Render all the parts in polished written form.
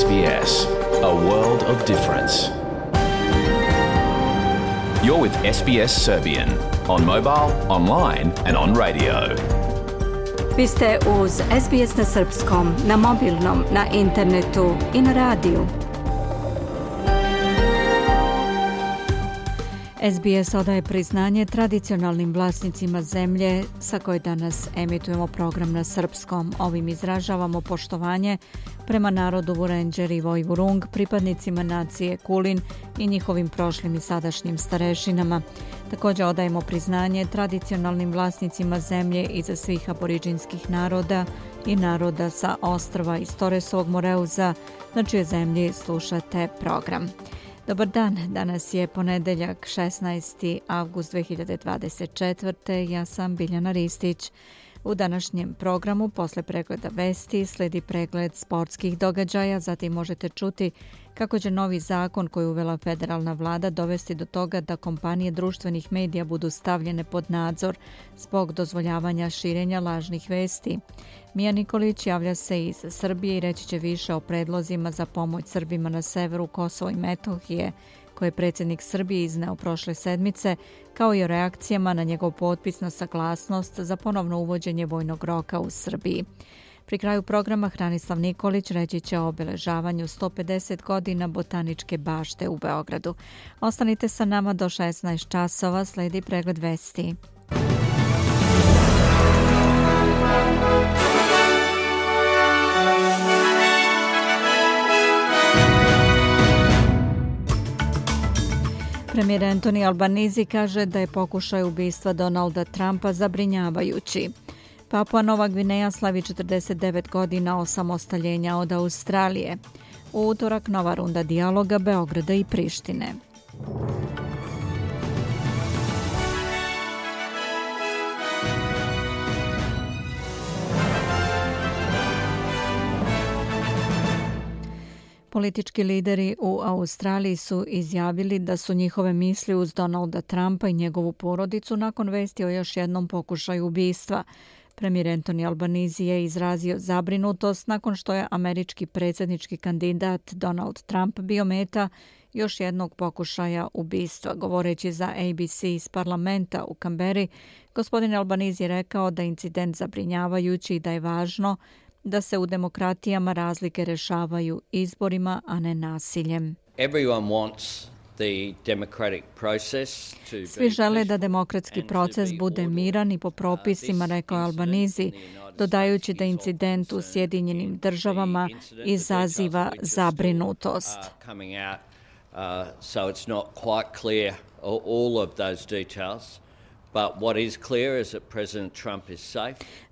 SBS, a world of difference. You're with SBS Serbian on mobile, online and on radio. Vi ste uz SBS na srpskom, na mobilnom, na internetu i na radiju. SBS odaje priznanje tradicionalnim vlasnicima zemlje sa koje danas emitujemo program na srpskom. Ovim izražavamo poštovanje prema narodu Vurendžer i Vojvurung, pripadnicima nacije Kulin i njihovim prošlim i sadašnjim starešinama. Također odajemo priznanje tradicionalnim vlasnicima zemlje iza svih aboriđinskih naroda i naroda sa ostrva iz Toresovog Moreuza, na čijoj zemlji slušate program. Dobar dan, danas je ponedeljak 16. avgust 2024. Ja sam Biljana Ristić. U današnjem programu posle pregleda vesti slijedi pregled sportskih događaja, zatim možete čuti kako će novi zakon koji uvela federalna vlada dovesti do toga da kompanije društvenih medija budu stavljene pod nadzor zbog dozvoljavanja širenja lažnih vesti. Mija Nikolić javlja se iz Srbije i reći će više o predlozima za pomoć Srbima na severu Kosova i Metohije, koje je predsjednik Srbije izneo prošle sedmice, kao i o reakcijama na njegov potpis na saglasnost za ponovno uvođenje vojnog roka u Srbiji. Pri kraju programa Hranislav Nikolić reći će o obeležavanju 150 godina Botaničke bašte u Beogradu. Ostanite sa nama do 16 časova, slijedi pregled vesti. Premijer Anthony Albanese kaže da je pokušaj ubistva Donalda Trumpa zabrinjavajući. Papua Nova Gvineja slavi 49 godina osamostaljenja od Australije. U utorak nova runda dijaloga Beograda i Prištine. Politički lideri u Australiji su izjavili da su njihove misli uz Donalda Trumpa i njegovu porodicu nakon vesti o još jednom pokušaju ubistva. Premijer Anthony Albanese je izrazio zabrinutost nakon što je američki predsjednički kandidat Donald Trump bio meta još jednog pokušaja ubistva. Govoreći za ABC iz parlamenta u Kamberi, gospodin Albanese je rekao da je incident zabrinjavajući i da je važno da se u demokratijama razlike rešavaju izborima, a ne nasiljem. Svi žele da demokratski proces bude miran i po propisima, rekao Albanese, dodajući da incident u Sjedinjenim državama izaziva zabrinutost.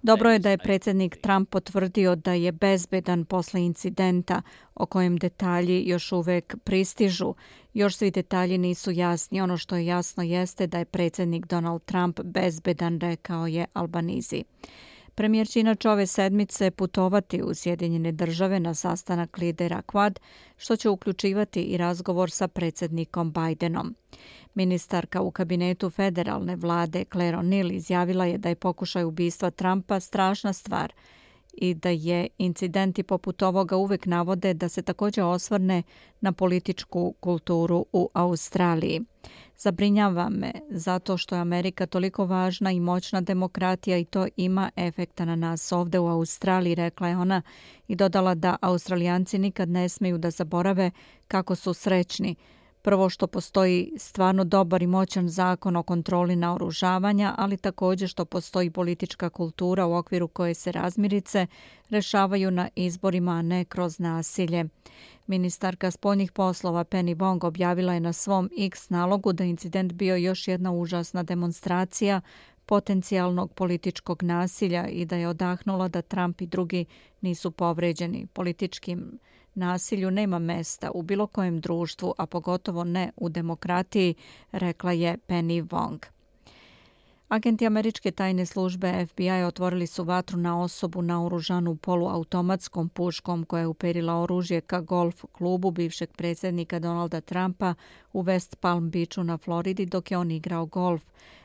Dobro je da je predsjednik Trump potvrdio da je bezbedan posle incidenta o kojem detalji još uvek pristižu. Još svi detalji nisu jasni. Ono što je jasno jeste da je predsjednik Donald Trump bezbedan, rekao je Albanese. Premijer će inače ove sedmice putovati u Sjedinjene države na sastanak lidera Quad, što će uključivati i razgovor sa predsjednikom Bidenom. Ministarka u kabinetu federalne vlade Claire O'Neill izjavila je da je pokušaj ubistva Trumpa strašna stvar i da je incidenti poput ovoga uvek navode da se također osvrne na političku kulturu u Australiji. Zabrinjava me zato što je Amerika toliko važna i moćna demokratija i to ima efekta na nas ovdje u Australiji, rekla je ona i dodala da Australijanci nikad ne smiju da zaborave kako su srećni. Prvo što postoji stvarno dobar i moćan zakon o kontroli naoružavanja, ali također što postoji politička kultura u okviru koje se razmirice rešavaju na izborima, a ne kroz nasilje. Ministarka spoljnih poslova Penny Wong objavila je na svom X nalogu da incident bio još jedna užasna demonstracija potencijalnog političkog nasilja i da je odahnula da Trump i drugi nisu povređeni. Političkim nasilju nema mesta u bilo kojem društvu, a pogotovo ne u demokratiji, rekla je Penny Wong. Agenti američke tajne službe FBI otvorili su vatru na osobu naoružanu poluautomatskom puškom koja je uperila oružje ka golf klubu bivšeg predsjednika Donalda Trumpa u West Palm Beachu na Floridi dok je on igrao golf.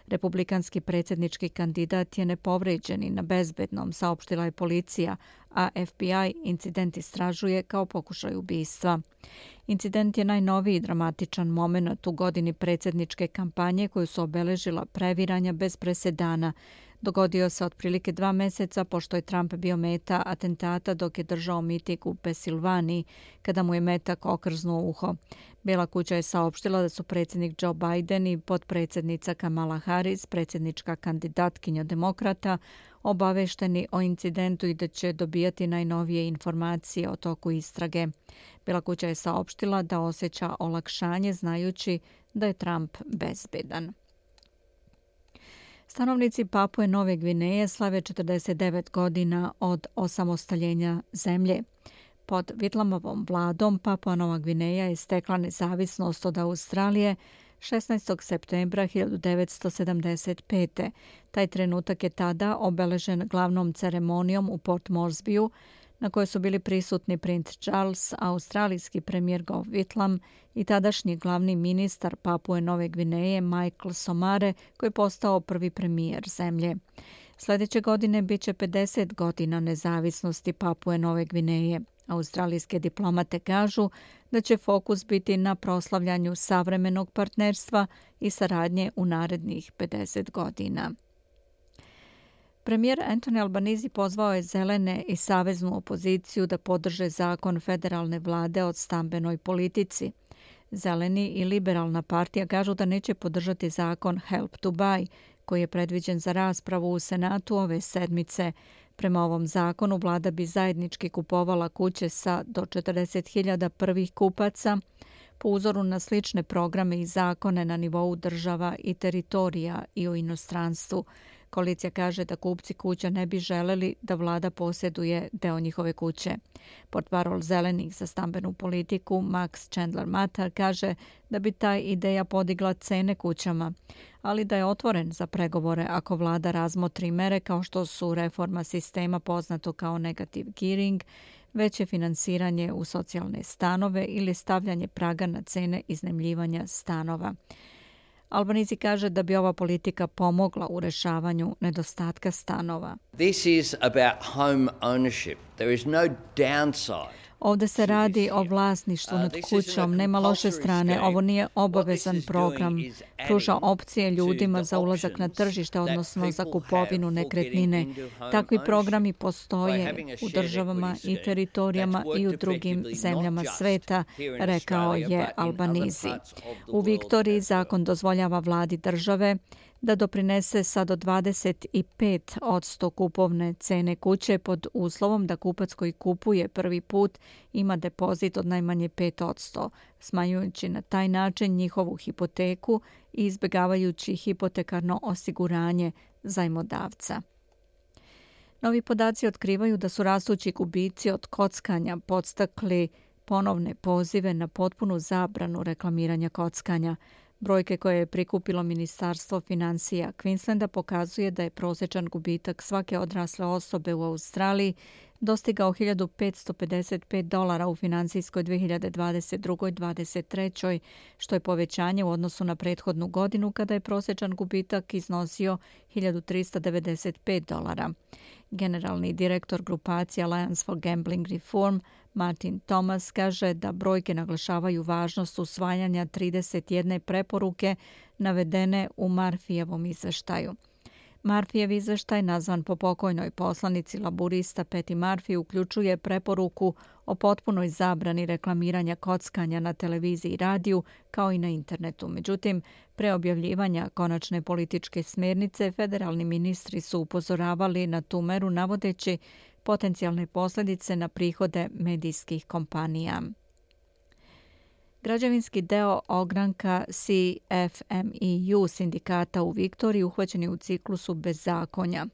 Republikanski predsjednički kandidat je nepovređen i na bezbednom, saopštila je policija, a FBI incident istražuje kao pokušaj ubistva. Incident je najnoviji dramatičan moment u godini predsjedničke kampanje koju su obeležila previranja bez presedana. Dogodio se otprilike 2 meseca pošto je Trump bio meta atentata dok je držao miting u Pensilvaniji kada mu je metak okrznuo uho. Bijela kuća je saopštila da su predsjednik Joe Biden i potpredsjednica Kamala Harris, predsjednička kandidatkinja demokrata, obavešteni o incidentu i da će dobijati najnovije informacije o toku istrage. Bijela kuća je saopštila da osjeća olakšanje znajući da je Trump bezbedan. Stanovnici Papue Nove Gvineje slave 49 godina od osamostaljenja zemlje. Pod Whitlamovom vladom Papua Nova Gvineja je stekla nezavisnost od Australije 16. septembra 1975. Taj trenutak je tada obeležen glavnom ceremonijom u Port Moresbyu, na kojoj su bili prisutni princ Charles, australijski premijer Gough Whitlam i tadašnji glavni ministar Papue Nove Gvineje Michael Somare, koji je postao prvi premijer zemlje. Sljedeće godine bit će 50 godina nezavisnosti Papue Nove Gvineje. Australijske diplomate kažu da će fokus biti na proslavljanju savremenog partnerstva i saradnje u narednih 50 godina. Premijer Anthony Albanese pozvao je zelene i saveznu opoziciju da podrže zakon federalne vlade o stambenoj politici. Zeleni i liberalna partija kažu da neće podržati zakon Help to Buy, koji je predviđen za raspravu u Senatu ove sedmice. Prema ovom zakonu vlada bi zajednički kupovala kuće sa do 40.000 prvih kupaca, po uzoru na slične programe i zakone na nivou država i teritorija i u inostranstvu. Koalicija kaže da kupci kuća ne bi želeli da vlada posjeduje deo njihove kuće. Portparol zelenih za stambenu politiku Max Chandler Mather kaže da bi ta ideja podigla cene kućama, ali da je otvoren za pregovore ako vlada razmotri mere kao što su reforma sistema poznato kao negative gearing, veće finansiranje u socijalne stanove ili stavljanje praga na cene iznajmljivanja stanova. Albanese kaže da bi ova politika pomogla u rešavanju nedostatka stanova. This is about home ownership. There is no downside. Ovdje se radi o vlasništvu nad kućom, nema loše strane. Ovo nije obavezan program. Pruža opcije ljudima za ulazak na tržište, odnosno za kupovinu nekretnine. Takvi programi postoje u državama i teritorijama i u drugim zemljama sveta, rekao je Albanese. U Viktoriji zakon dozvoljava vladi države da doprinese sa do 25% kupovne cene kuće pod uslovom da kupac koji kupuje prvi put ima depozit od najmanje 5%, smanjujući na taj način njihovu hipoteku i izbjegavajući hipotekarno osiguranje zajmodavca. Novi podaci otkrivaju da su rastući gubici od kockanja podstakli ponovne pozive na potpunu zabranu reklamiranja kockanja. Brojke koje je prikupilo Ministarstvo financija Queenslanda pokazuje da je prosječan gubitak svake odrasle osobe u Australiji dostigao $1.555 u financijskoj 2022-2023, što je povećanje u odnosu na prethodnu godinu kada je prosječan gubitak iznosio $1.395. Generalni direktor grupacije Alliance for Gambling Reform Martin Thomas kaže da brojke naglašavaju važnost usvajanja 31 preporuke navedene u Murphyjevom izveštaju. Murphyjev izveštaj, nazvan po pokojnoj poslanici laburista Patty Murphy, uključuje preporuku o potpunoj zabrani reklamiranja kockanja na televiziji i radiju kao i na internetu. Međutim, pre objavljivanja konačne političke smjernice, federalni ministri su upozoravali na tu meru navodeći potencijalne posljedice na prihode medijskih kompanija. Građevinski deo ogranka CFMEU sindikata u Viktoriji uhvaćen je u ciklusu bezakonja,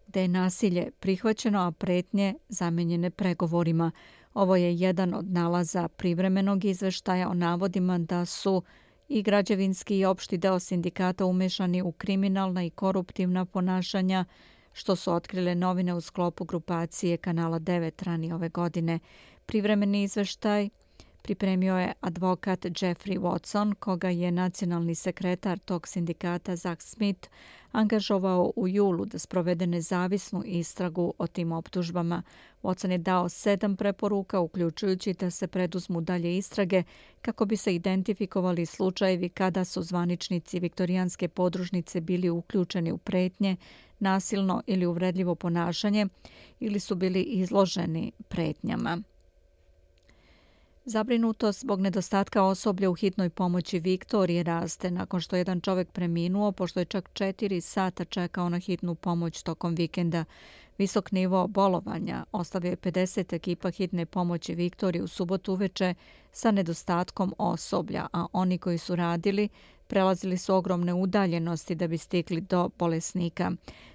gde je nasilje prihvaćeno, a pretnje zamenjene pregovorima. Ovo je jedan od nalaza privremenog izveštaja o navodima da su i građevinski i opšti deo sindikata umešani u kriminalna i koruptivna ponašanja, što su otkrile novine u sklopu grupacije Kanala 9 ranije ove godine. Privremeni izveštaj Pripremio je advokat Jeffrey Watson, koga je nacionalni sekretar tog sindikata Zach Smith angažovao u julu da sprovede nezavisnu istragu o tim optužbama. Watson je dao 7 preporuka, uključujući da se preduzmu dalje istrage kako bi se identifikovali slučajevi kada su zvaničnici viktorijanske podružnice bili uključeni u pretnje, nasilno ili uvredljivo ponašanje ili su bili izloženi pretnjama. Zabrinutost zbog nedostatka osoblja u hitnoj pomoći Viktorije raste nakon što jedan čovjek preminuo, pošto je čak 4 sata čekao na hitnu pomoć tokom vikenda. Visok nivo bolovanja ostavio je 50 ekipa hitne pomoći Viktorije u subotu uveče sa nedostatkom osoblja, a oni koji su radili prelazili su ogromne udaljenosti da bi stigli do bolesnika.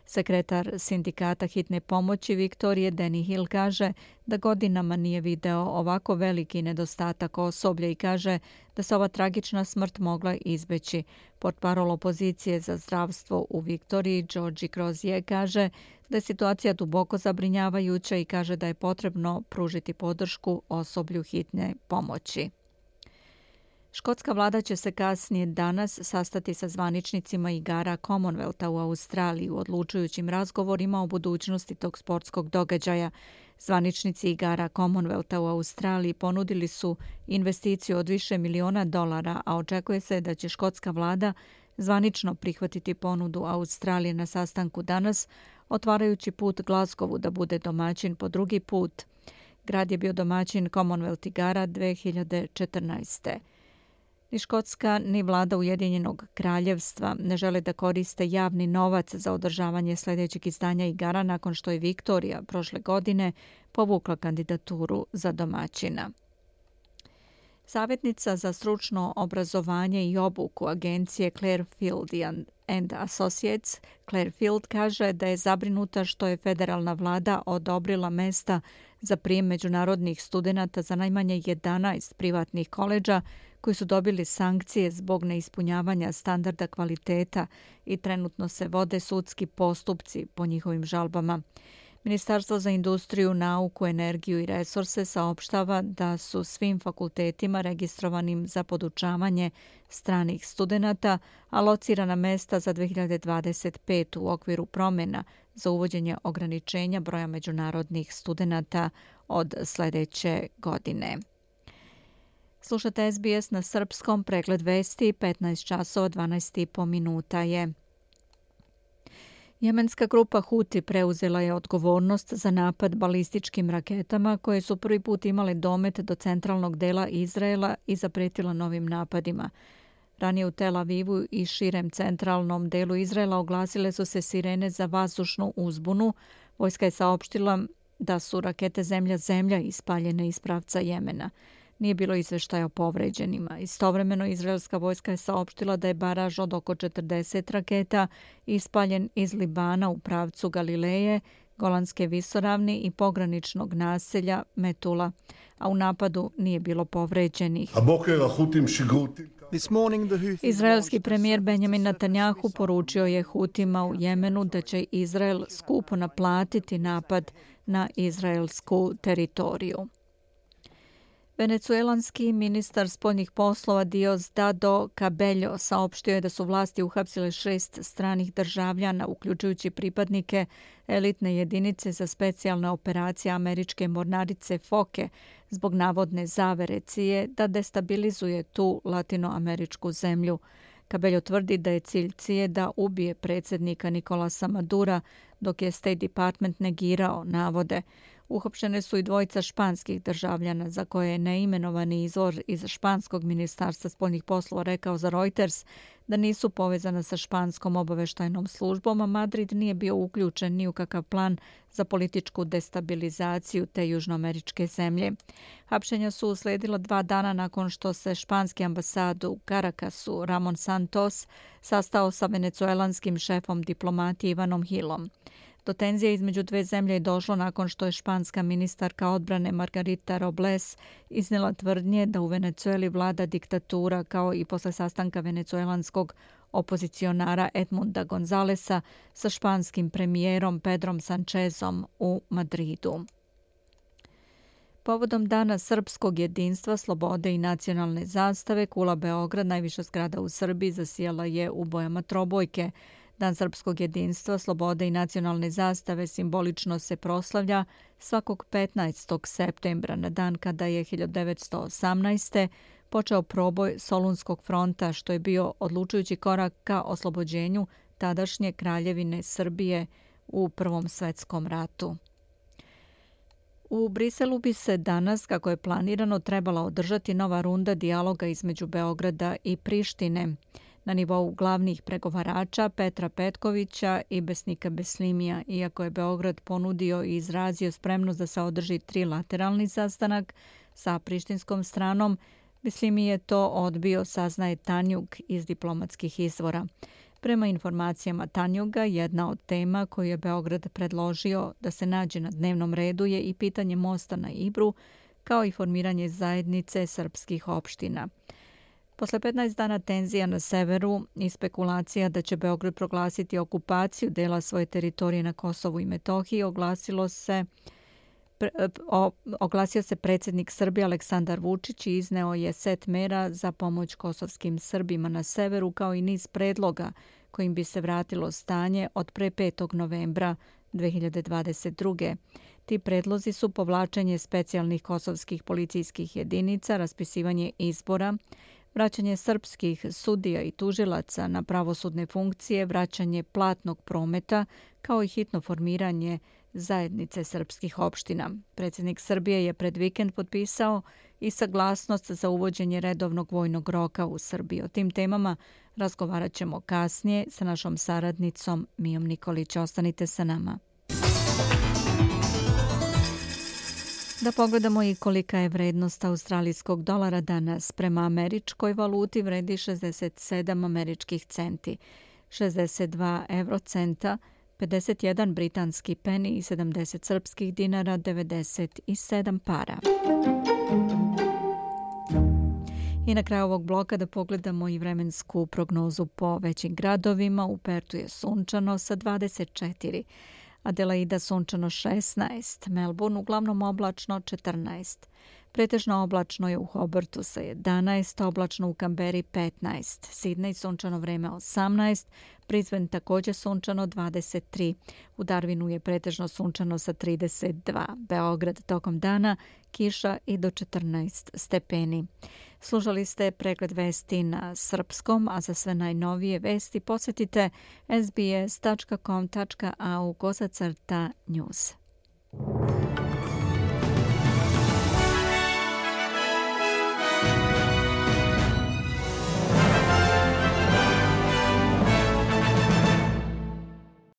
Sekretar sindikata hitne pomoći Viktorije Danny Hill kaže da godinama nije video ovako veliki nedostatak osoblja i kaže da se ova tragična smrt mogla izbeći. Portparol opozicije za zdravstvo u Viktoriji Georgi Crozier kaže da je situacija duboko zabrinjavajuća i kaže da je potrebno pružiti podršku osoblju hitne pomoći. Škotska vlada će se kasnije danas sastati sa zvaničnicima igara Commonwealtha u Australiji u odlučujućim razgovorima o budućnosti tog sportskog događaja. Zvaničnici igara Commonwealtha u Australiji ponudili su investiciju od više miliona dolara, a očekuje se da će škotska vlada zvanično prihvatiti ponudu Australije na sastanku danas, otvarajući put Glasgowu da bude domaćin po drugi put. Grad je bio domaćin Commonwealth igara 2014. Ni Škotska ni vlada Ujedinjenog kraljevstva ne žele da koriste javni novac za održavanje sljedećeg izdanja igara nakon što je Viktorija prošle godine povukla kandidaturu za domaćina. Savjetnica za stručno obrazovanje i obuku agencije Clearfield and Associates, Clearfield, kaže da je zabrinuta što je federalna vlada odobrila mesta za prijem međunarodnih studenata za najmanje 11 privatnih koledža koji su dobili sankcije zbog neispunjavanja standarda kvaliteta i trenutno se vode sudski postupci po njihovim žalbama. Ministarstvo za industriju, nauku, energiju i resurse saopštava da su svim fakultetima registrovanim za podučavanje stranih studenata alocirana mesta za 2025 u okviru promjena za uvođenje ograničenja broja međunarodnih studenata od sljedeće godine. Slušate SBS na srpskom, pregled vesti, 15 časova 12,5 minuta je. Jemenska grupa Huti preuzela je odgovornost za napad balističkim raketama koje su prvi put imale domet do centralnog dela Izraela i zapretila novim napadima. Ranije u Tel Avivu i širem centralnom delu Izraela oglasile su se sirene za vazdušnu uzbunu. Vojska je saopštila da su rakete zemlja-zemlja ispaljene iz pravca Jemena. Nije bilo izveštaja o povređenima. Istovremeno, izraelska vojska je saopštila da je baraž od oko 40 raketa ispaljen iz Libana u pravcu Galileje, Golanske visoravni i pograničnog naselja Metula, a u napadu nije bilo povređenih. Izraelski premijer Benjamin Netanjahu poručio je Hutima u Jemenu da će Izrael skupo naplatiti napad na izraelsku teritoriju. Venecuelanski ministar spoljnih poslova Diosdado Cabello saopštio je da su vlasti uhapsile 6 stranih državljana, uključujući pripadnike elitne jedinice za specijalne operacije američke mornarice Foke, zbog navodne zavere CIA da destabilizuje tu latinoameričku zemlju. Cabello tvrdi da je cilj CIA da ubije predsjednika Nicolasa Madura, dok je State Department negirao navode. Uhapšene su i 2 španskih državljana za koje je neimenovani izvor iz španskog ministarstva spoljnih poslova rekao za Reuters da nisu povezana sa španskom obaveštajnom službom, a Madrid nije bio uključen ni u kakav plan za političku destabilizaciju te južnoameričke zemlje. Hapšenja su uslijedila 2 dana nakon što se španski ambasad u Caracasu Ramon Santos sastao sa venecuelanskim šefom diplomatije Ivanom Hillom. Do tenzije između 2 zemlje je došlo nakon što je španska ministarka odbrane Margarita Robles iznijela tvrdnje da u Venecueli vlada diktatura, kao i posle sastanka venecuelanskog opozicionara Edmunda Gonzalesa sa španskim premijerom Pedrom Sanchezom u Madridu. Povodom Dana srpskog jedinstva, slobode i nacionalne zastave, Kula Beograd, najviša zgrada u Srbiji, zasijala je u bojama trobojke. Dan srpskog jedinstva, slobode i nacionalne zastave simbolično se proslavlja svakog 15. septembra, na dan kada je 1918. počeo proboj Solunskog fronta, što je bio odlučujući korak ka oslobođenju tadašnje kraljevine Srbije u Prvom svetskom ratu. U Briselu bi se danas, kako je planirano, trebala održati nova runda dijaloga između Beograda i Prištine na nivou glavnih pregovarača Petra Petkovića i Besnika Beslimija. Iako je Beograd ponudio i izrazio spremnost da se održi trilateralni sastanak sa prištinskom stranom, Beslimi je to odbio, saznaje Tanjug iz diplomatskih izvora. Prema informacijama Tanjuga, jedna od tema koju je Beograd predložio da se nađe na dnevnom redu je i pitanje mosta na Ibru, kao i formiranje zajednice srpskih opština. Posle 15 dana tenzija na severu i spekulacija da će Beograd proglasiti okupaciju dela svoje teritorije na Kosovu i Metohiji, oglasio se predsjednik Srbije Aleksandar Vučić i izneo je set mera za pomoć kosovskim Srbima na severu, kao i niz predloga kojim bi se vratilo stanje od pre 5. novembra 2022. Ti predlozi su povlačenje specijalnih kosovskih policijskih jedinica, raspisivanje izbora, vraćanje srpskih sudija i tužilaca na pravosudne funkcije, vraćanje platnog prometa, kao i hitno formiranje zajednice srpskih opština. Predsjednik Srbije je pred vikend potpisao i saglasnost za uvođenje redovnog vojnog roka u Srbiji. O tim temama razgovarat ćemo kasnije sa našom saradnicom Mijom Nikolić. Ostanite sa nama. Da pogledamo i kolika je vrednost australijskog dolara danas. Prema američkoj valuti vredi 67 američkih centi, 62 eurocenta, 51 britanski peni i 70 srpskih dinara, 97 para. I na kraju ovog bloka da pogledamo i vremensku prognozu po većim gradovima. U Pertu je sunčano sa 24, Adelaida sunčano 16, Melbourne uglavnom oblačno 14. Pretežno oblačno je u Hobartu sa 11, oblačno u Kamberi 15, Sidney sunčano vreme 18, Brisbane također sunčano 23, u Darwinu je pretežno sunčano sa 32, Beograd tokom dana kiša i do 14 stepeni. Slušali ste pregled vesti na srpskom, a za sve najnovije vesti posjetite sbs.com.au/news.